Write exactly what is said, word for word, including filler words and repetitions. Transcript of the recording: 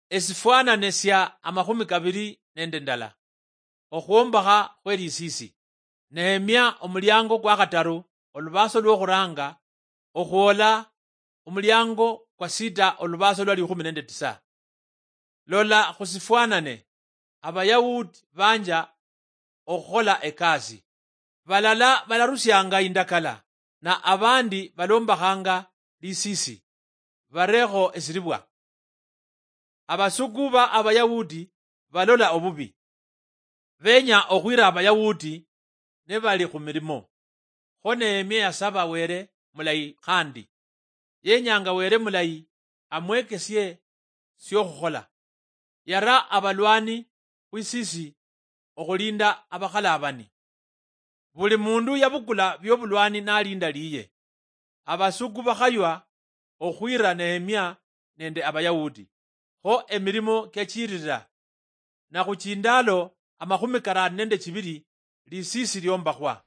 Esifwanane sia amakhumi kabiri nende ndala. Okhwombakha khwe lisiisi. Nehemia omuliango kwa khataru, olubaaso lwokhuranga, okhwola omuliango kwa sita, olubaaso lwa likhumi nende tisa. Lola khusifwanane, Abayahudi banja okhukhola ekasi. Balala balarusianga indakala, na abandi balombakhanga lisiisi, barekho esiribwa. Abasuku ba Abayahudi balola obubi. Benya okhwira Abayahudi nibali khumilimo. Kho Nehemia yasaba Were mulayi khandi. Yenyanga Were mulayi amwekesie siokhukhola. Yara abalwani khwisisi okhulinda abakhalabani. Buli mundu yabukula biobulwani nalinda liye. Abasuku bakhaywa okhwira Nehemia nende Abayahudi. Kho emilimo kiachirira. Na khuchindalo amakhumi karano nende chibiri, lisiisi liombakhwa.